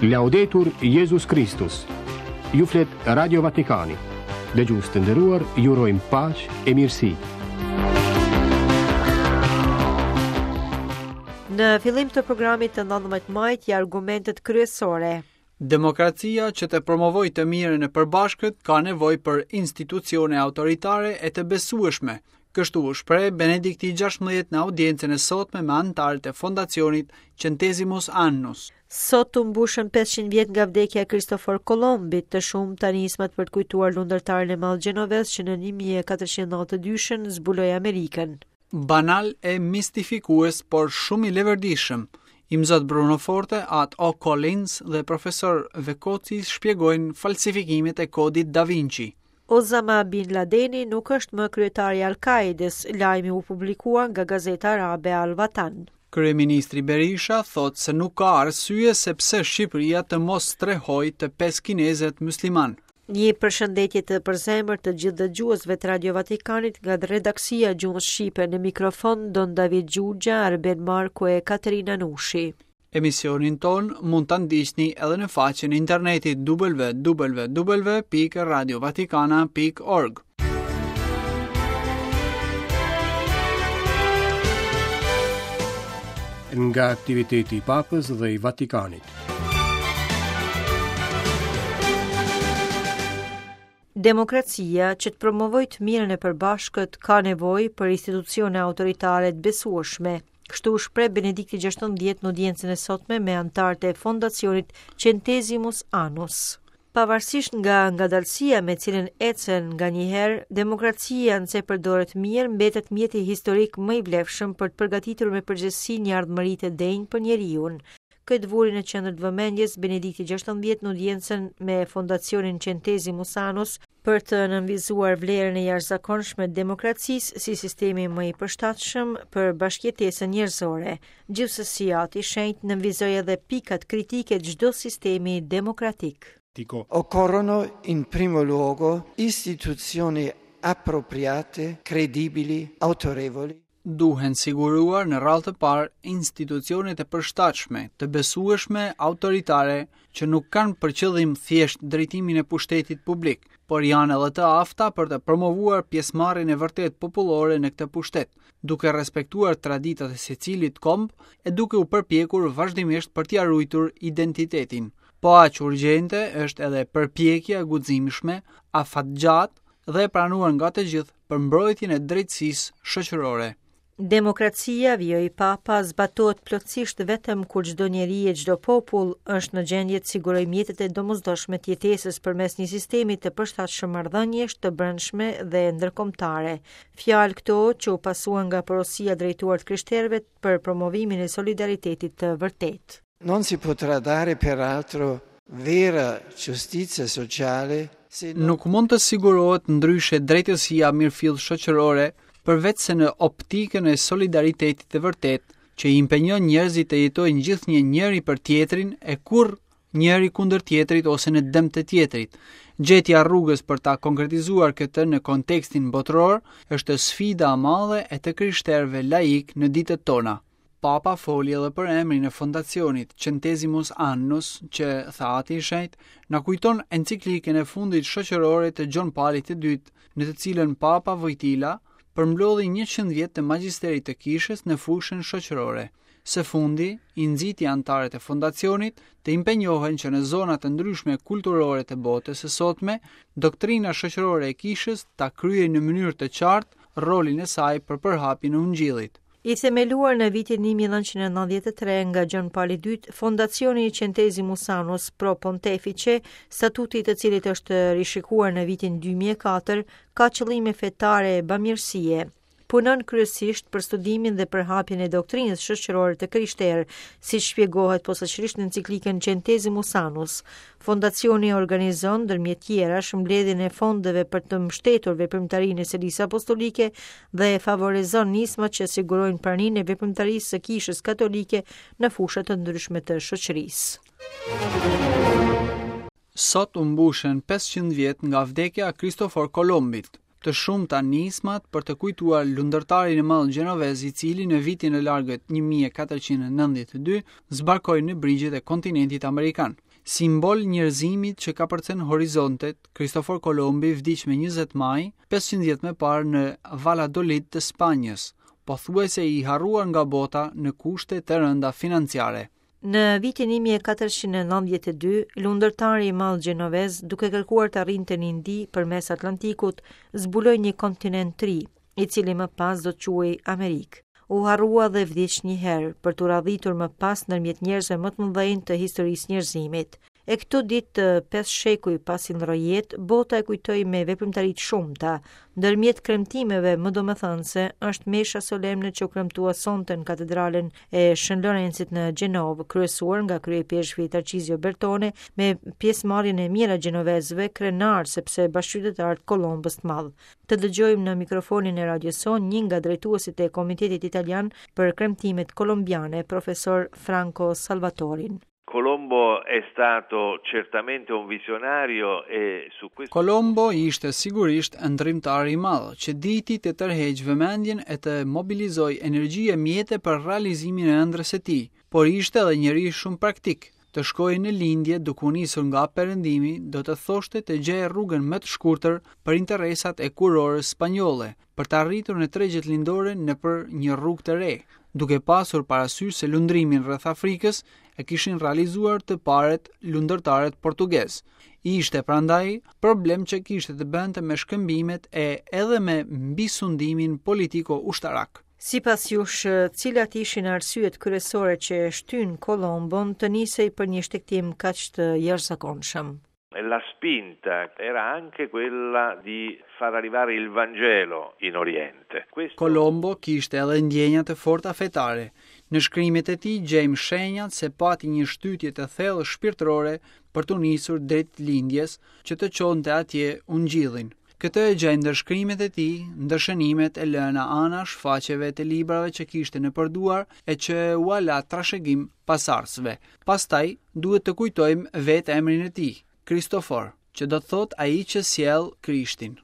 Laudetur Jezus Kristus. Ju flet Radio Vatikani. Dëgjues të nderuar, ju urojmë paqe e mirësi. Në fillim të programit të 19 majit ja argumentet kryesore. Demokracia që të promovojë të mirën e përbashkët ka nevojë për institucione autoritare e të besueshme. Kështu u shpreh Benedikti XVI në audiencën e sotme me anëtarët e fondacionit Centesimus Annus. Sot u mbushën 500 vjet nga vdekja e Kristofor Kolombit, të shumta nismat për të kujtuar lundërtarin e madh gjenovez që në 1492-shën zbuloi Amerikën. Banal e mistifikues, por shumë i leverdishëm. Imzot Bruno Forte, At O. Collins dhe profesor Vekoci shpjegojnë falsifikimet e kodit Da Vinci. Osama Bin Ladeni nuk është më kryetar i Al-Kaidës, lajmi u publikua nga gazeta arabe Al-Watan. Kryeministri Berisha thotë se nuk ka arsye se pse Shqipëria të mos strehojë të pesë kinezët myslimanë. Një përshëndetje të përzemërt të gjithë dëgjuesve të Radio Vatikanit nga redaksia e gjuhës shqipe në mikrofon Don David Xhuxha, Arben Marku e Katerina Nushi. Emisionin tonë mund ta ndiqni edhe në faqen e internetit www.radiovatikana.org. Nga aktiviteti i Papës dhe i Vatikanit. Demokracia, që të promovojë të mirën e përbashkët, ka nevojë për institucione autoritare të besueshme. Kështu u shpreh Benedikti XVI në audiencën e sotme me anëtarët e fondacionit Centesimus Annus. Pavarësisht nga ngadalësia me cilën ecën nganjëherë, demokracia nëse përdoret mirë mbetet mjeti historik më i vlefshëm për të përgatitur me përgjegjësi një ardhmëri të denjë për njeriun. Këtë vuri në qendër të vëmendjes Benedikti XVI në audiencën me Fondacionin Centesimus Annus për të nënvizuar vlerën e jashtëzakonshme të demokracisë si sistemi më i përshtatshëm për bashkëjetesën njerëzore. Gjithsesi, Ati i Shenjtë nënvizoi edhe pikat kritike të çdo sistemi demokratik. Occorrono in primo luogo istituzioni appropriate, credibili, autorevoli. Duhen siguruar në radhë të parë institucionet e përshtatshme, të besueshme, autoritare, që nuk kanë për qëllim thjesht drejtimin e pushtetit publik, por janë edhe të afta për të promovuar pjesëmarrjen e vërtetë popullore në këtë pushtet, duke respektuar traditat e secilit komb e duke u përpjekur vazhdimisht për t'ia ruajtur identitetin. Po aq urgjente është edhe përpjekja e guximshme, afatgjatë dhe e pranuar nga të gjithë për mbrojtjen e drejtësisë shoqërore. Demokracia, vijoi Papa, zbatohet plotësisht vetëm kur çdo njeri e çdo popull është në gjendje të sigurojë mjetet e domosdoshme të jetesës përmes një sistemi të përshtatshëm marrëdhëniesh të brendshme dhe ndërkombëtare. Fjalë këto që u pasuan nga porosia drejtuar të krishterëve për promovimin e solidaritetit të vërtetë. Non si potrà dare peraltro vera giustizia sociale se non Nuk mund të sigurohet ndryshe drejtësia e mirëfilltë shoqërore përveçse në optikën e solidaritetit të vërtetë që i impenjon njerëzit të jetojnë gjithnjë njëri për tjetrin e kurrë njëri kundër tjetrit ose në dëm të tjetrit. Gjetja e rrugës për ta konkretizuar këtë në kontekstin botëror është sfida e madhe e të krishterëve laikë në ditët tona. Papa foli edhe për emrin e fondacionit Centesimus Annus, që, tha Ati i Shenjtë, na kujton enciklikën e fundit shoqërore të Gjon Palit të Dytë, në të cilën Papa Vojtila përmblodhi 100 vjet të magjisterit të kishës në fushën shoqërore. Së fundi, i nxiti anëtarët e fondacionit të impenjohen që në zona të ndryshme kulturore të botës së sotme, doktrina shoqërore e kishës ta kryejë në mënyrë të qartë rolin e saj për përhapjen e ungjillit. I themeluar në vitin 1993 nga Gjon Pali II, Fondacioni Centesimus Annus Pro Pontefice, statuti i të cilit është rishikuar në vitin 2004, ka qëllime fetare e bamirësie. Punon kryesisht për studimin dhe përhapjen e doktrinës shoqërore të krishterë, siç shpjegohet posaçërisht në enciklikën Centesimus Annus. Fondacioni organizon ndërmjet tjerash mbledhjen e fondeve për të mbështetur veprimtarinë e Selisë Apostolike dhe favorizon nismat që sigurojnë praninë e veprimtarisë së Kishës Katolike në fusha të ndryshme të shoqërisë. Sot u mbushën 500 vjet nga vdekja e Kristofor Kolombit. Të shumta nismat për të kujtuar lundërtarin e madh gjenovez i cili në vitin e largët 1492 zbarkoi në brigjet e kontinentit amerikan. Simbol njerëzimit që kapërcen horizontet, Kristofor Kolombi vdiq me 20 maj, 500 vjet më parë në Valladolid të Spanjës, pothuajse i harruar nga bota në kushte të rënda financiare. Në vitin 1492, lundërtari i madh gjenovez, duke kërkuar të arrinte në Indi përmes Atlantikut, zbuloi një kontinent të ri, i cili më pas do të quhej Amerikë. U harrua dhe vdiq një herë, për t'u radhitur më pas ndërmjet njerëzve më të mëdhenj të historisë njerëzimit. E këto ditë, pesë shekuj pasi ndërroi jetë, bota e kujtoi me veprimtari të shumta. Ndërmjet kremtimeve më domethënëse është mesha solemne që u kremtua sonte në katedralen e Shën Lorencit në Gjenovë, kryesuar nga kryeipeshkvi Tarcizio Bertone, me pjesëmarrjen e mijëra gjenovezëve krenarë sepse bashkëqytetarë të Kolombës të madh. Të dëgjojmë në mikrofonin e radios sonë një nga drejtuesit e Komitetit Italian për Kremtimet Kolombiane, profesor Franco Salvatorin. Colombo è stato certamente un visionario e su questo Colombo ishte sigurisht ëndërrimtar i madh, që diti të tërheqë vëmendjen e të mobilizojë energji e mjete për realizimin e ëndrrës së tij, por ishte edhe njeri shumë praktik. Të shkoje në lindje duke u nisur nga perëndimi do të thoshte të gjeje rrugën më të shkurtër për interesat e kurorës spanjolle, për të arritur në tregjet lindore nëpër një rrugë të re, duke pasur parasysh se lundrimin rreth Afrikës e kishin realizuar të parët lundërtarët portugezë. Ishte prandaj problem që kishte të bënte me shkëmbimet e edhe me mbisundimin politiko-ushtarak. Sipas jush, cilat ishin arsyet kryesore që e shtynë Kolombon të nisej për një shtegtim kaq të jashtëzakonshëm? La spinta era anche quella di far arrivare il Vangelo in Oriente. Questo... Kolombo kishte edhe ndjenja të forta fetare. Në shkrimet e tij gjejmë shenjat se pati një shtytje të thellë shpirtërore për t'u nisur drejt lindjes që të çonte atje ungjillin. Këtë e gjejmë ndër shkrimet e tij, ndër shënimet e lëna anash faqeve të librave që kishte nëpër duar e që ua la trashëgim pasardhësve. Pastaj, duhet të kujtojmë vetë emrin e tij, Kristofor, që do të thotë ai që sjell Krishtin.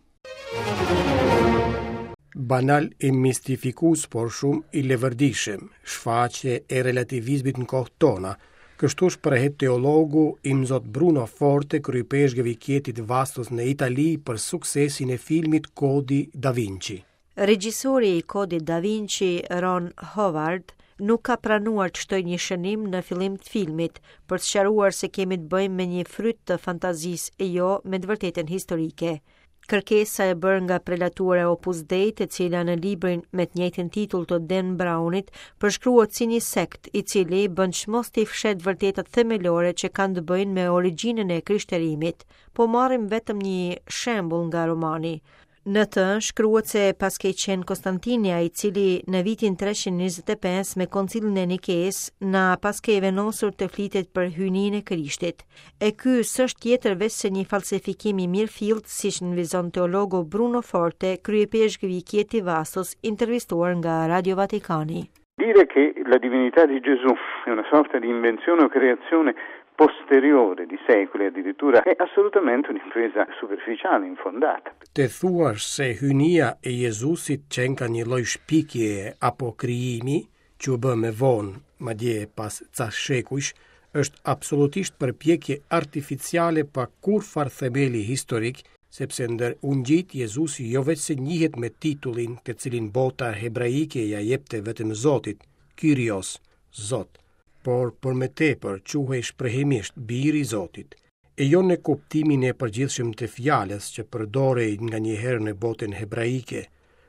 Banal e mistifikues, por shumë i leverdishëm, shfaqje e relativizmit në kohët tona, Kështu shprehet teologu Imzot Bruno Forte, kryeipeshkëv i Kietit Vastos në Itali për suksesin e filmit Kodi Da Vinci. Regjisori i Kodit Da Vinci, Ron Howard, nuk ka pranuar të shtojë një shënim në fillim të filmit për të sqaruar se kemi të bëjmë me një fryt të fantazisë e jo me të vërtetën historike. Kërkesa e bërë nga prelatura e Opus Dei, e cila në librin me të njëjtin titull të Dan Brownit përshkruhet si një sekt i cili bën çmos t'i fsheh të vërtetat themelore që kanë të bëjnë me origjinën e krishterimit. Po marrim vetëm një shembull nga romani. Në të shkruhet se paskej qenë Konstantini ai i cili në vitin 325 me koncilin e Nikesë na paskej vendosur të flitet për hyjninë e Krishtit. E ky s'është tjetër veçse një falsifikim i mirëfilltë, siç nënvizon teologu Bruno Forte, kryeipeshkëv i Chieti Vastos, intervistuar nga Radio Vatikani. Dire che la divinità di Gesù è una sorta di invenzione o creazione posteriore di secoli addirittura è assolutamente un'impresa superficiale, infondata. Të thuash se hyjnia e Jezusit qenka një lloj shpikjeje apo krijimi, që u bë më vonë, madje pas ca shekujsh, është absolutisht përpjekje artificiale pa kurrfarë themeli historik, sepse ndër ungjijtë Jezusi jo veçse njihet me titullin të cilin bota hebraike ia jepte vetëm Zotit, Kyrios, Zot, por për më tepër quhej shprehimisht Biri i Zotit, e jo në kuptimin e përgjithshëm të fjalës që përdorej nganjëherë në botën hebraike,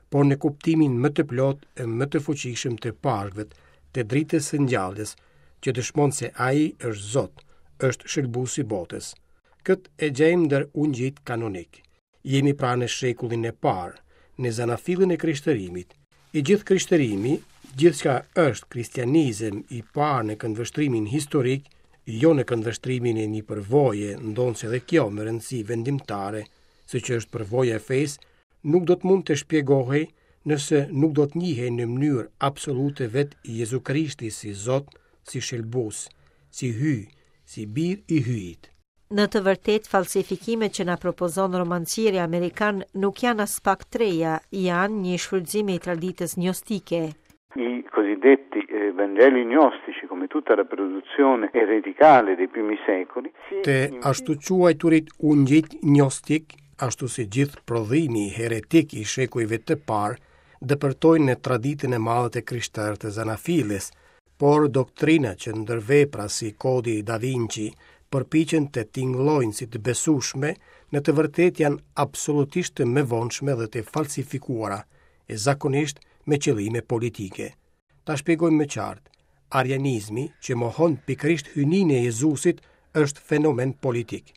por në kuptimin më të plotë e më të fuqishëm të Pashkëve, të dritës së ngjalljes, që dëshmon se ai është Zot, është shëlbues i botës. Këtë e gjejmë ndër ungjijtë kanonikë. Jemi pra në shekullin e parë, në zanafillën e krishterimit. I gjithë krishtërimi, gjithçka është kristianizëm i parë në këndvështrimin historik, jo në këndvështrimin e një përvoje, ndonëse edhe kjo me rëndësi vendimtare, siç është përvoja e fesë, nuk do të mund të shpjegohej nëse nuk do të njihej në mënyrë absolute vetë Jezu Krishti si Zot, si Shëlbues, si Hyj, si Bir i Hyjit. Në të vërtetë, falsifikimet që na propozon romancieri amerikan nuk janë aspak të reja, janë një shfrytëzim i traditës gnostike. I cosiddetti eh, Vangeli gnostici, come tutta la produzione ereticale dei primi secoli, Të ashtuquajturit ungjijtë gnostikë, ashtu si gjithë prodhimi heretik i shekujve të parë, depërtojnë në traditën e madhe të krishterë të zanafillës, por doktrina që ndër vepra si Kodi Da Vinci përpiqen të tingëllojnë si të besueshme, në të vërtetë janë absolutisht të mëvonshme dhe të falsifikuara, e zakonisht me qëllime politike. Ta shpjegojmë më qartë, arianizmi që mohon pikërisht hyjninë e Jezusit është fenomen politik.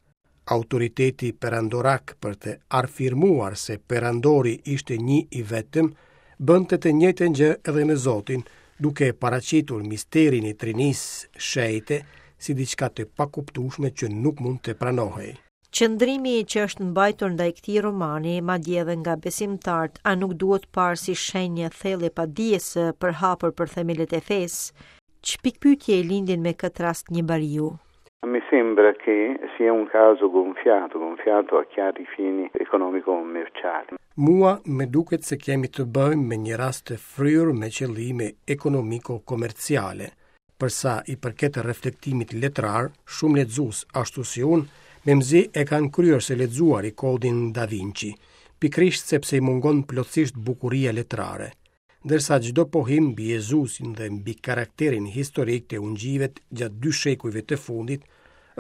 Autoriteti perandorak për të afirmuar se perandori ishte një i vetëm, bënte të njëjtën gjë edhe me Zotin, duke paraqitur misterin e Trinisë Shenjte si diçka të pakuptueshme që nuk mund të pranohej. Qëndrimi që është mbajtur ndaj këtij romani, madje edhe nga besimtarët, a nuk duhet parë si shenjë e thellë e padijes së përhapur për themelet e fesë? Ç'pikëpyetje i lindin me këtë rast një bariu? Mi sembra che sia un caso gonfiato, gonfiato a chiari fini economico-commerciali. Mua më duket se kemi të bëjmë me një rast të fryrë me qëllime ekonomiko-komerciale. Për sa i përket reflektimit letrar, shumë lexues, ashtu si unë, memzi e kanë kryer së lexuari Kodin Da Vinci, pikërisht sepse i mungon plotësisht bukuria letrare. Ndërsa çdo pohim mbi Jezusin dhe mbi karakterin historik të ungjijve gjatë dy shekujve të fundit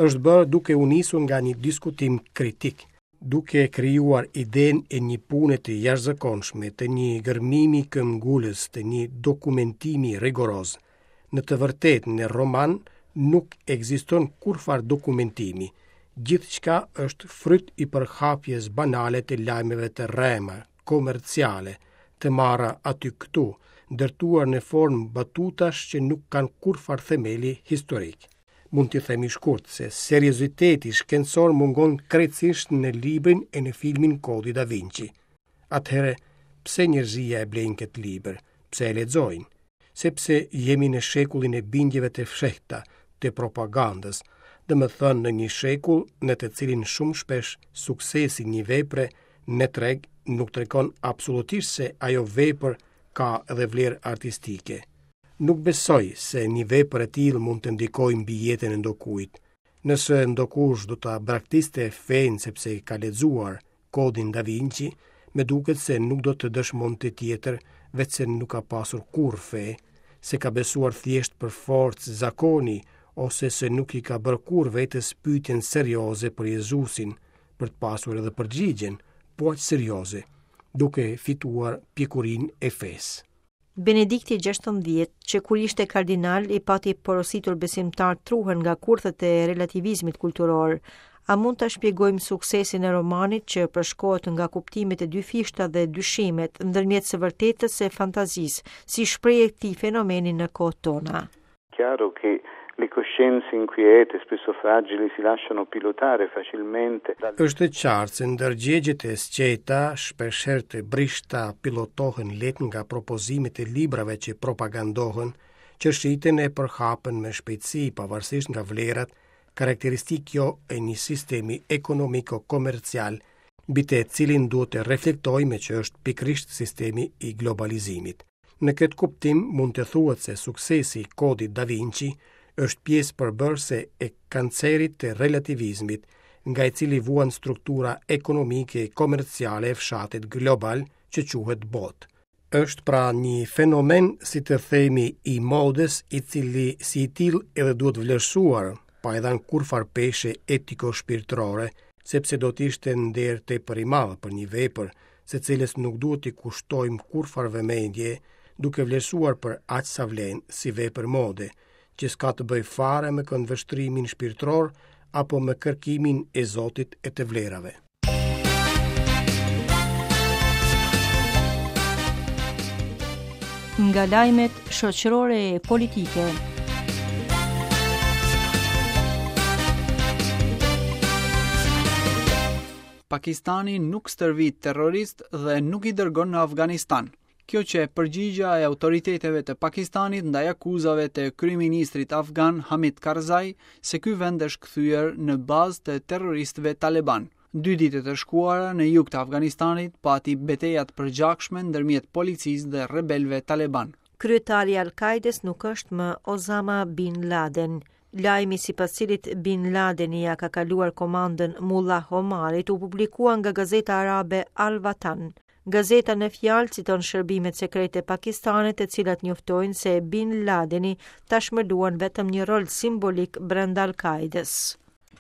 është bërë duke u nisur nga një diskutim kritik, duke krijuar idenë e një pune të jashtëzakonshme, të një gërmimi këmbëngulës, të një dokumentimi rigoroz. Në të vërtetë, në roman nuk ekziston kurrfarë dokumentimi. Gjithçka është fryt i përhapjes banale të lajmeve të rrema, komerciale, të marra aty këtu, ndërtuar në formë batutash që nuk kanë kurrfarë themeli historik. Mund t'i themi shkurt se serioziteti shkencor mungon krejtësisht në librin e në filmin Kodi Da Vinci. Atëherë, pse njerëzia e blejnë këtë libër? Pse e lexojnë? Sepse jemi në shekullin e bindjeve të fshehta, të propagandës, domethënë në një shekull në të cilin shumë shpesh suksesi i një vepre në treg nuk tregon absolutisht se ajo vepër ka edhe vlerë artistike. Nuk besoj se një vepër e tillë mund të ndikojë mbi jetën e ndokujt. Nëse ndokush do ta braktiste fenë sepse ka lexuar Kodin Da Vinci, më duket se nuk do të dëshmonte tjetër, veçse nuk ka pasur kurrë fe, se ka besuar thjesht për forcë zakoni ose se nuk i ka bërë kurrë vetes pyetjen serioze për Jezusin, për të pasur edhe përgjigjen, po aq serioze, duke fituar pjekurinë e fesë. Benedikti XVI, që kur ishte kardinal i pati porositur besimtarët të ruhen nga kurthet e relativizmit kulturor. A mund ta shpjegojmë suksesin e romanit që përshkohet nga kuptimet e dyfishta dhe dyshimet ndërmjet së vërtetës e fantazisë, si shprehje e këtij fenomeni në kohët tona? Chiaro che le coscienze inquiete, spesso fragili, si lasciano pilotare facilmente dal. Është e qartë se ndërgjegjet e sqeta, shpeshherë të brishta, pilotohen lehtë nga propozimet e librave që propagandohen, që shiten e përhapen me shpejtësi pavarësisht nga vlerat, karakteristikë kjo e një sistemi ekonomiko-komercial mbi të cilin duhet të reflektojmë që është pikërisht sistemi i globalizimit. Në këtë kuptim mund të thuhet se suksesi i Kodit Da Vinci është pjesë përbërëse e kancerit të relativizmit, nga i cili vuan struktura ekonomike e komerciale e fshatit global që quhet botë. Është pra një fenomen, si të themi, i modës, i cili si i tillë edhe duhet vlerësuar, pa i dhënë kurrfarë peshe etiko-shpirtërore, sepse do të ishte nder tepër i madh për një vepër, së cilës nuk duhet t'i kushtojmë kurrfarë vëmendje, duke vlerësuar për aq sa vlen si vepër mode, që s'ka të bëjë fare me këndvështrimin shpirtëror apo me kërkimin e Zotit e të vlerave. Nga lajmet shoqërore e politike. Pakistani nuk stërvit terroristë dhe nuk i dërgon në Afganistan. Kjo qe përgjigja e autoriteteve të Pakistanit ndaj akuzave të kryeministrit afgan Hamid Karzai se ky vend është kthyer në bazë të terroristëve talebanë. Dy ditët e shkuara në jug të Afganistanit pati beteja të përgjakshme ndërmjet policisë dhe rebelëve talebanë. Kryetari i Al-Kaidës nuk është më Osama Bin Laden. Lajmi sipas cilit Bin Ladeni ia ka kaluar komandën Mullah Omarit u publikua nga gazeta arabe Al-Watan. Gazeta në fjalë citon shërbimet sekrete pakistane të cilat njoftojnë se Bin Ladeni tashmë luan vetëm një rol simbolik brenda Al-Kaidës.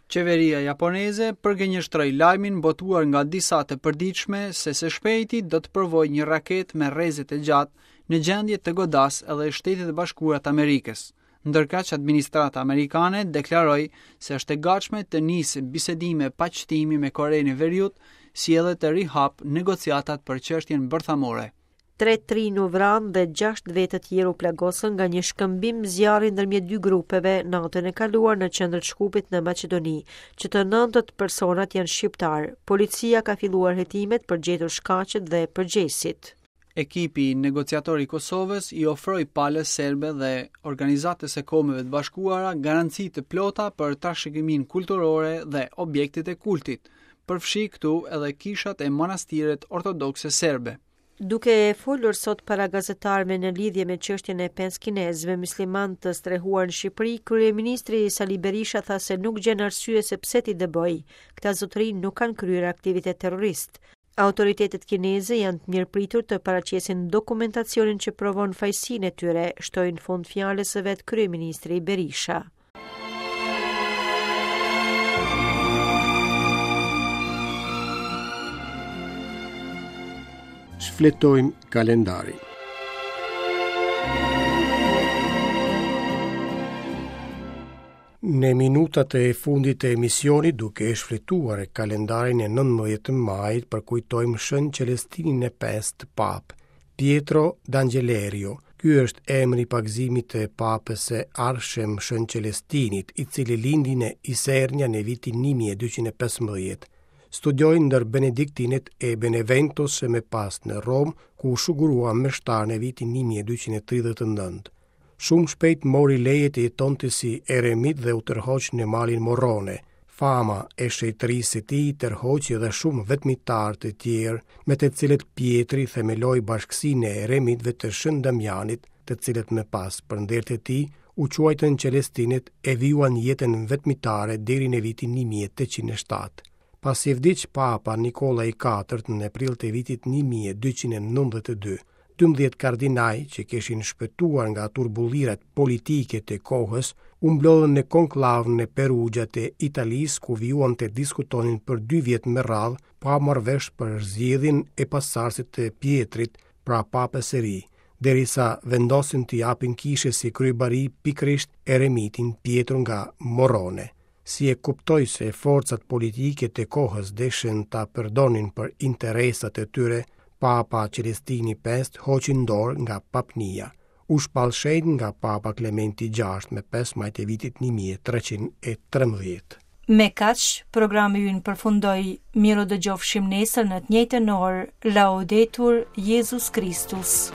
Qeveria japoneze përgënjeshtroi lajmin botuar nga disa të përditshme se së shpejti do të provojë një raketë me rreze të gjatë në gjendje të godasë edhe Shtetet e Bashkuara të Amerikës. Ndërkaq administrata amerikane deklaroi se është e gatshme të nisë bisedime paqtimi me Korenë e Veriut, si edhe të rihapë negociatat për çështjen bërthamore. Tre të rinj u vranë dhe gjashtë vetë të tjerë u plagosën nga një shkëmbim zjarri ndërmjet dy grupeve natën e kaluar në qendër të Shkupit në Maqedoni. Që të nëntët personat janë shqiptarë. Policia ka filluar hetimet për gjetur shkaqet dhe përgjegjësit. Ekipi negociator i Kosovës i ofroi palës serbe dhe Organizatës së Kombeve të Bashkuara garanci të plota për trashëgiminë kulturore dhe objektet e kultit, përfshi këtu edhe kishat e manastiret ortodokse serbe. Duke folur sot para gazetarëve në lidhje me çështjen e pesë kinezëve myslimanë të strehuar në Shqipëri, kryeministri Sali Berisha tha se nuk gjen arsye se pse t'i dëbojë. Këta zotërinj nuk kanë kryer aktivitet terrorist. Autoritetet kineze janë të mirëpritur të paraqesin dokumentacionin që provon fajësinë e tyre, shtoi në fund fjalës së vet kryeministri Berisha. Shfletojmë kalendarin. Në minutat e fundit të emisionit, duke e shfletuar kalendarin e 19 majit, përkujtojmë Shën Celestinin e pestë Papë, Pietro d'Angelerio. Ky është emri i pagëzimit të Papës së ardhshëm Shën Celestinit, i cili lindi në Isernia në vitin 1215. Studioi ndër benediktinët e Beneventos e më pas në Romë, ku u shugurua meshtar në vitin 1239. Shumë shpejt mori leje të jetonte si eremit dhe u tërhoq në malin Morrone. Fama e shenjtërisë së tij tërhoqi edhe shumë vetmitarë të tjerë, me të cilët Pjetri themeloi bashkësinë e eremitëve të Shën Damianit, të cilët më pas, për nder të tij, u quajtën Celestinët e vijuan jetën vetmitare deri në vitin 1807. Pasi vdiq Papa Nikolla i IV në prill të vitit 1292, 12 kardinaj që kishin shpëtuar nga turbullirat politike të kohës, u mblodhën në konklavë në Perugia të Italisë ku vijuan të diskutonin për dy vjet me radhë pa marrë vesh për zgjedhjen e pasardhësit të Pjetrit, pra papës së ri, derisa vendosën t'i japin kishës si kryebari pikërisht eremitin Pietro nga Morrone. Si e kuptoi se forcat politike të kohës deshën ta përdornin për interesat e tyre, Papa Celestini V hoqi dorë nga papnia. U shpall shenjt nga Papa Klementi VI me 5 maj të vitit 1313. Me kaq, programi ynë përfundoi. Mirudëgjofshim nesër në të njëjtën orë. Laudetur Jezus Kristus.